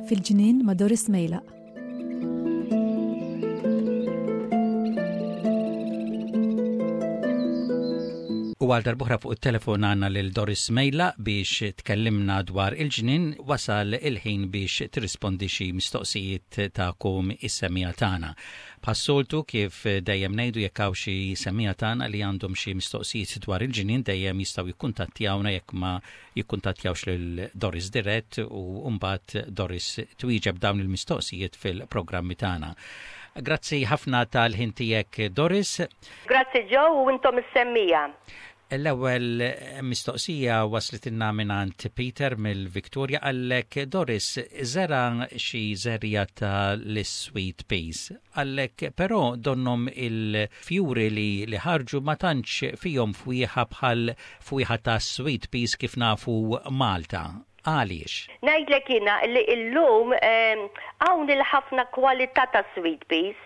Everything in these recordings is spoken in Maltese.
Fil-ġnien ma' Doris Mejlaq. U għal darbuħra fuq il-telefon għanna lil Doris Mejla biex tkellimna dwar il-ġnien wasal il-ħin biex tirrispondi xi mistoqsijiet tagħkom is-semija tagħna. Bħas-soltu kif dejjem ngħidu jekk hawn xi semija tagħna li għandhom xi mistoqsijiet dwar il-ġnien dejjem jistgħu jikkuntattjawna jekk ma jikkuntattjawx lil Doris dirett u mbagħad Doris twieġeb dawn il-mistoqsijiet fil-programmi tagħna. Grazzi ħafna tal-ħin tiegħek Doris. Grazzi Joe u intom is-semmiegħa. L-ewwel mistoqsija waslitilna mingħand Peter mill-Victoria qallek Doris żera' xi żerriegħa ta' l-sweet peas. Qallek però donnhom il-fjuri li li ħarġu ma tantx fihom fwieħa bħal fwieħa ta' sweet peas kif nafu Malta. Għaliex? Ngħidlek jiena li illum hawn il-ħafna kwalità ta' sweet peas.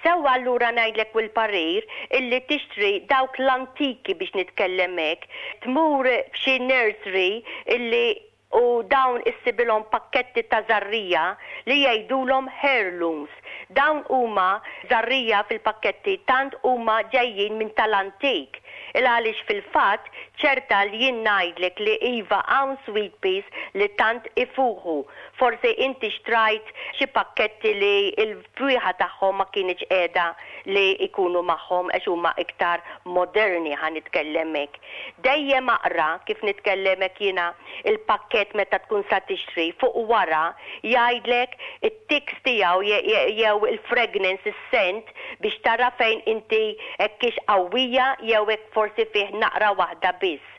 Sewwa allura ngħidlek u l-parir illi tixtri dawk l-antiki biex nitkellem hekk, tmur f'xi nursery illi u dawn issibilhom pakketti ta' żarrija li jgħidulhom heirlooms. Dawn huma żarrija fil-pakketti tant huma ġejjin minn tal-antik. Il għaliex fil-fatt ċerta li jien ngħidlek li iva hawn sweet peas li tant ifuħu. Forsi inti xtrajt xi pakketti li l-fwieħa tagħhom ma kinitx qiegħda li jkunu magħhom għax huma iktar moderni ħa nitkellem hekk. Dejjem aqra, kif nitkellem hekk jiena, il-pakkett meta tkun sa tixtri, fuq wara jgħidlek it-ticks tiegħu jew il-fragrance, is-scent, biex tara fejn inti hekk hix qawwija jew hekk forsi fih naqra waħda biss.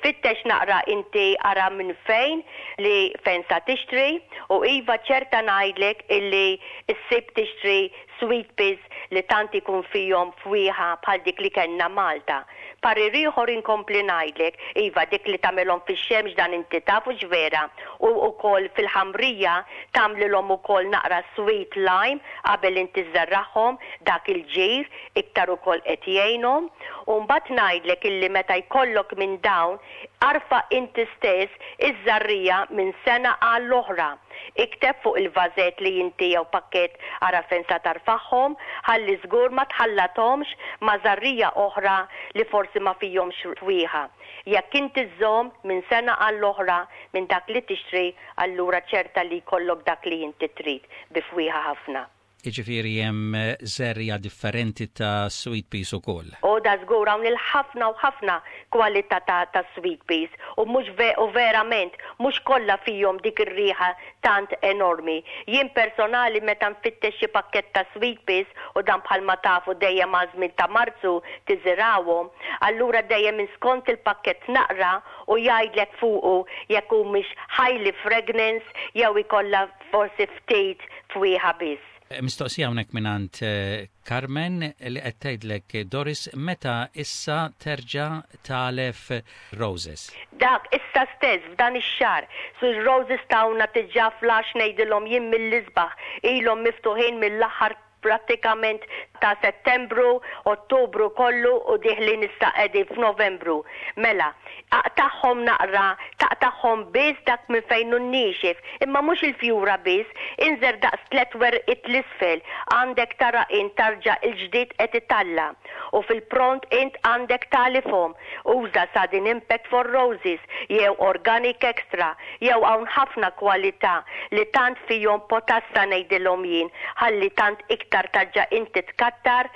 Fittex naqra inti ara minn fejn li fejn sa tixtri u iva ċerta ngħidlek illi ssib tixtri sweet peas li tant ikun fihom fwieħa bħal dik li kellna Malta. Parir ieħor inkompli ngħidlek, iva dik li tagħmilhom fix-xemx dan inti taf hux vera, u ukoll fil-ħamrija tagħmlilhom ukoll naqra sweet lime qabel inti żżerragħhom, dak il-ġir iktar ukoll qed jgħinhom. U mbagħad ngħidlek illi meta jkollok minn dawn arfa' inti stess iż-żarrija minn sena għall-oħra. Ikteb fuq il-vażett li inti jew pakkett ara fejn sa tarfagħhom, ħalli żgur ma tħallathomx ma' żarrija oħra li forsi ma fihomx fwieħa. Jekk inti żżomm minn sena għall-oħra minn dak li tixtri allura ċerta li jkollok dak li inti trid bi fwieħa ħafna. Jiġifieri hemm żerriegħa differenti ta' sweet peas ukoll. O da żgur hawn il-ħafna u ħafna kwalità ta' ta' sweet peas u mhux ve u verament mhux kollha fihom dik ir-riħa tant enormi. Jien personali meta nfittex xi pakkett ta' sweet peas u dan bħalma tafu dejjem għaż-żmien ta' Marzu tiżirgħuhom, allura dejjem minn skont il-pakkett naqra u jgħidlek fuqu jekk humiex highly fragrance jew ikollha Forsi ftit fwieħa biss. Mistoqsija hawnhekk mingħand Carmen li qed tgħidlek Doris meta issa terġa' tagħlef roses? Dak issa stess f'dan ix-xahar. Su r-roses tawna diġà flash ngħidilhom jien mill-isbaħ ilhom miftuħin mill-aħħar prattikament ta' Settembru, Ottubru kollu u dieħlin issa qegħdin f'Novembru. Mela, aqtagħhom naqra, taqtagħhom biss dak minn fejn hu niexef, imma mhux il-fjura biss, inżer daqs tlett werqiet 'l isfel, għandek tara int tarġa' il-ġdid qed italla'. U fil-pront int għandek tagħlifhom. Uża Sudden Impact for Roses jew Organic Extra jew hawn ħafna kwalità li tant fihom potassa ngħidilhom jien ħalli tant iktar tarġa' inti tkattar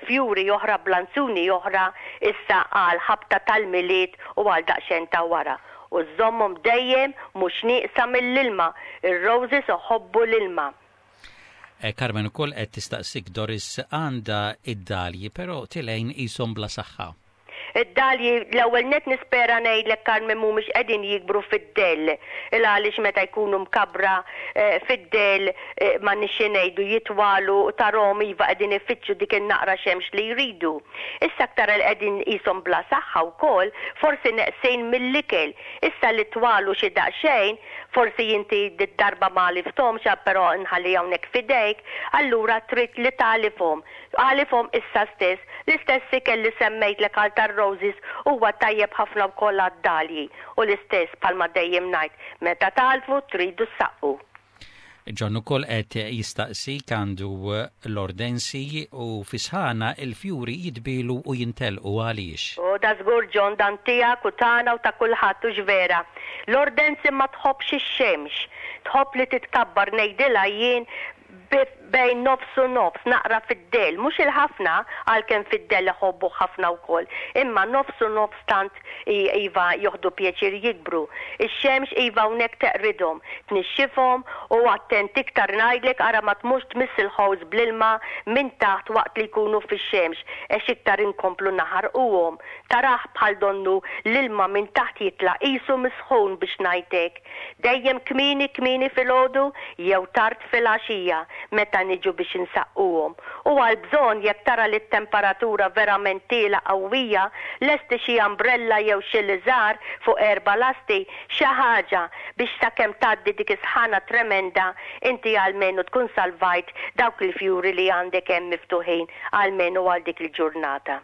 fjuri oħra blanzuni oħra issa għal ħabta tal-Milied u għal daqsxejn ta' wara. U żżommhom dejjem mhux nieqsa mill-ilma, ir-roses iħobbu l-ilma. Carmen ukoll qed tistaqsik Doris għandha id-dalji però tilgħin qishom bla saħħa. Id-dalji, l-ewwel nett nispera ngħidlek Carmen mhumiex qegħdin jikbru fid-dell. Il għaliex meta jkunu mkabbra fid-dell m'għandniex xi ngħidu jitwalu u tarahom iva qegħdin ifittxu dik in-naqra xemx li jridu. Issa aktar li qegħdin qishom bla saħħa wkoll, forsi neqsin mill-ikel. Issa li twalu xi daqsxejn, Forsi inti did-darba ma għalifthomx, però nħalli hawnhekk f'idejk, allura trid li tagħlifhom. Għalifhom issa stess. L-istess ikel li semmejtlek għal tar-roses huwa tajjeb ħafna wkoll għad-dalji u l-istess bħalma dejjem ngħid, meta tagħlfu tridu ssaqqu. John ukoll qed jistaqsik għandu l-ordensi u fi sħana l-fjuri jitbielu u jintelqu għaliex? O da żgur John dan tiegħek u tagħna u ta' kulħadd hux vera? L-ordensi ma tħobbx ix-xemx. Tħobb li titkabbar ngħidilha jien bejn nofs u nofs, naqra fid-dell, mhux il-ħafna, għalkemm fid-dell iħobbuh ħafna wkoll, imma nofs u nofs tant iva joħdu pjaċir jikbru. Ix-xemx iva hawnhekk teqridhom, tnixxifhom u attent iktar ngħidlek ara ma tmurx tmiss il-ħowż bl-ilma minn taħt waqt li jkunu fix-xemx għex iktar inkomplu naħarquhom. Tarah bħal donnu l-ilma minn taħt jitla' qisu misħun biex ngħid hekk. Dejjem kmieni kmieni filgħodu jew tard filgħaxija meta niġu biex insaqquhom. U għall-bżonn jekk tara li t-temperatura verament tielgħa qawwija, lesti xi umbrella jew xi liżar fuq erba' lasti, xi ħaġa biex sakemm tgħaddi dik is-sħana tremenda inti almenu tkun salvajt dawk il-fjuri li għandek hemm miftuħin almenu għal dik il-ġurnata.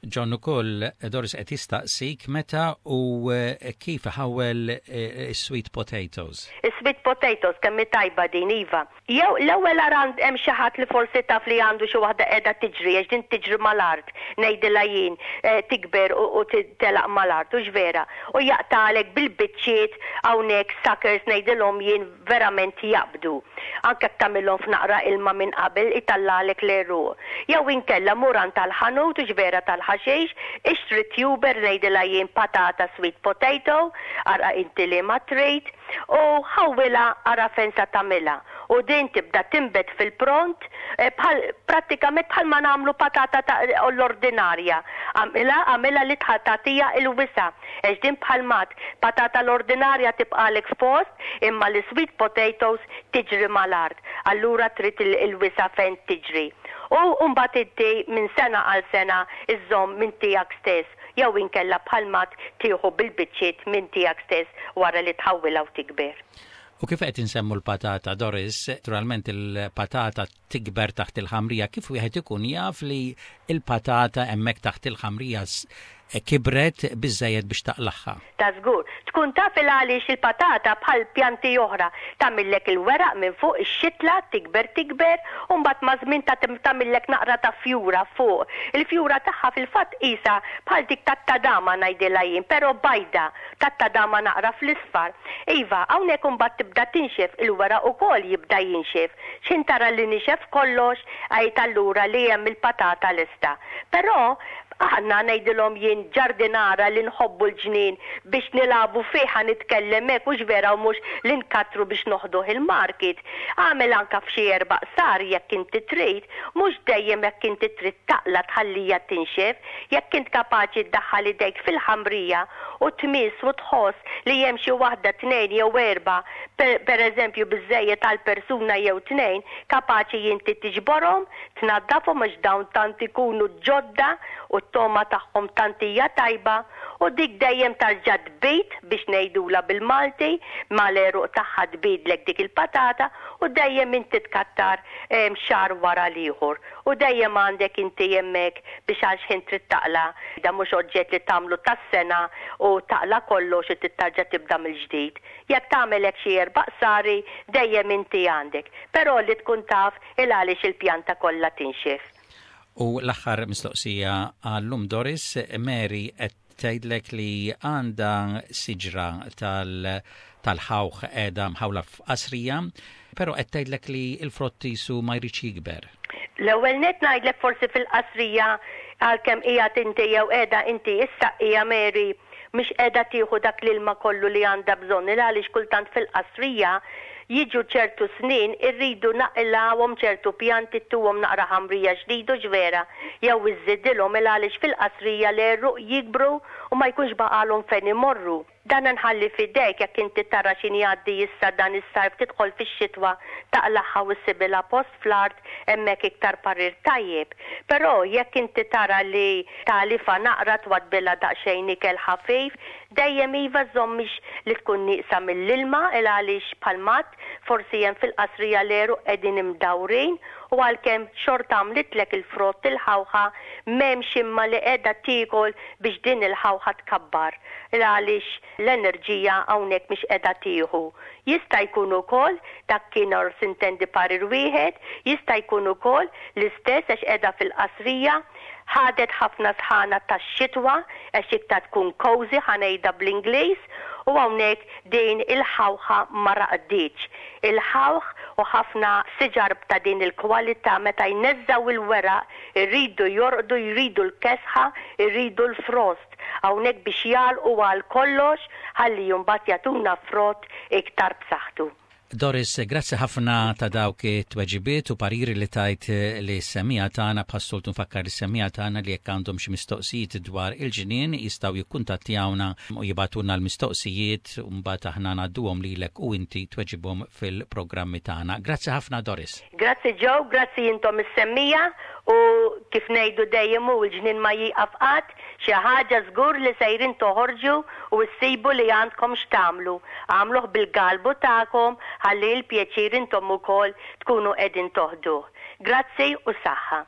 John ukoll Doris qed jistaqsik meta u kif iħawwel is-sweet potatoes. Is-sweet potatoes kemm hi tajba din iva. Jew l-ewwel ara hemm xi ħadd li forsi taf li għandu xi waħda qiegħda tiġri għax din tiġri mal-art ngħidilha jien tikber u telaq mal-art hux vera u jaqtagħlek bil-biċċiet hawnhekk suckers ngħidilhom jien verament jaqbdu. Anke jekk tagħmilhom f'naqra ilma minn qabel itallagħlek l-għeruq. Jew inkella mur għand tal-ħanut, hux vera tal-ħaxix, ixtri tuber ngħidilha jien patata sweet potato, ara inti liema trid, u ħawwilha ara fejn sa tagħmilha. U din tibda tinbet fil-pront bħal prattikament bħalma nagħmlu patata ta' l-ordinarja. Agħmilha agħmilha li tagħtiha l-wisa' għax din bħal m'għad patata l-ordinarja tibqagħlek f'post imma l-sweet potatoes tiġri mal-art, allura trid il-wisa' fejn tiġri. U mbagħad inti minn sena għal sena żżomm minn tiegħek stess jew inkella bħal m'għad tieħu bil-biċċiet minn tiegħek stess wara li tħawwilha u tikber. U kif qed insemmu l-patata, Doris, naturalment il-patata tikber taħt il-ħamrija, kif wieħed ikun jaf li l-patata hemmhekk taħt il-ħamrija kibret biżżejjed biex taqlagħha? Ta' żgur. Tkun taf il għaliex il-patata bħal pjanti oħra tagħmillek il-weraq minn fuq ix-xitla tikber tikber u mbagħad maż-żmien tagħmillek naqra ta' fjura fuq. Il-fjura tagħha fil-fatt qisha bħal dik tat-tadama ngħidilha jien, però bajda. Tat-tadama naqra fl-isfar. Iva, hawnhekk imbagħad tibda tinxef, il-weraq ukoll jibda jinxef. X'ħin tara li nixef kollox, għid allura li hemm il-patata lesta. Però, aħna, ngħidilhom jien, ġardinara li nħobbu l-ġnien biex nilagħbu fih, ħa nitkellem hekk, hux vera u mhux li nkattru biex noħduh il-market. Agħmel anke f'xi erba' qsar jekk inti trid, mhux dejjem jekk inti trid taqla' tħalliha tinxef. Jekk int kapaċi ddaħħal idejk fil-ħamrija u tmiss u tħoss li hemm xi waħda, tnejn jew erbgħa, per eżempju biżżejjed għal persuna jew tnejn, kapaċi inti tiġborhom, tnaddafhom għax dawn tant ikunu ġodda u t-togħma tagħhom tant hija tajba u dik dejjem tarġa' tbid biex ngħidulha bil-Malti, mal-għeruq tagħha tbidlek dik il-patata u dejjem inti tkattar xahar wara l-ieħor. U dejjem għandek inti hemmhekk biex għal x'ħin trid taqla'. Dan mhux oġġett li tagħmlu tas-sena u taqla' kollox u trid tarġa' tibda mill-ġdid. Jekk tagħmel hekk xi erba' qsari, dejjem inti għandek. Però li tkun taf il għaliex il-pjanta kollha tinxef. U l-aħħar mistoqsija għal-lum Doris, Mary qed tgħidlek li għandha siġra tal-ħawħ qiegħda mħawla f'qasrija, però qed tgħidlek li l-frott qisu ma jridx jikber. L-ewwel nett ngħidlek forsi fil-qasrija għalkemm qiegħed inti jew qiegħda inti issaqqija Mary mhix qiegħda tieħu dak l-ilma kollu li għandha bżonn il għaliex kultant fil-qasrija jiġu ċertu snin irridu naqilgħuhom ċertu pjanti ttuhom naqra ħamrija ġdid hux vera jew iżżidilhom il għaliex fil-qasrija l-għeruq jikbru u ma jkunx baqgħalhom fejn imorru. Dan nħalli f'idejk jekk inti tara x'inhi jgħaddi issa dan is-sajf tidħol fix-xitwa taqlagħha u ssibilha post fl-art hemmhekk iktar parir tajjeb. Però jekk inti tara li tagħlifha naqra twaddbilha daqsxejn ikel ħafif, dejjem iva żżommhiex li tkun nieqsa mill-ilma il għaliex bħalma għedt forsi hemm fil-qasrija l-għeruq qegħdin imdawrin u għalkemm xorta għamlitlek il-frott il-ħawħa m'hemmx imma li qiegħda tiekol biex din il-ħawħa tkabbar il għaliex l-enerġija hawnhekk mhix qiegħda tieħu. Jista' jkun ukoll, dak kien or sintendi parir wieħed, jista' jkun ukoll l-istess għax qiegħda fil-qasrija, ħadet ħafna sħana tax-xitwa għax iktar tkun cozy ħa ngħidha bl-Ingliż u hawnhekk din il-ħawħa ma raqditx. Il-ħawħ u ħafna siġar ta' din il-kwalità meta jneżżgħu il-weraq iridu jorqdu, jridu l-kesħa, iridu l-frost hawnhekk biex jagħlqu għal kollox ħalli mbagħad jagħtuna frott iktar b'saħħtu. Doris, grazzi ħafna ta' dawk it-tweġibiet u pariri li tajt lis-semmiegħa tagħna. Bħas-soltu nfakkar lis-semmiegħa tagħna li jekk għandhom xi mistoqsijiet dwar il-ġnien jistgħu jikkuntattjawna u jibagħtulna l-mistoqsijiet u mbagħad aħna ngħadduhom lilek u inti tweġibhom fil-programmi tagħna. Grazzi ħafna Doris. Grazzi Joe, grazzi intom is-semmiegħa u kif ngħidu dejjem hu l-ġnien ma jieqaf qatt, Xi ħaġa żgur li sejrin toħorġu u issibu li għandkom x'tagħmlu. Agħmluh bil-galbu tagħkom ħalli il-pjaċir intom ukoll tkunu qegħdin toħduh. Grazzi u saħħa.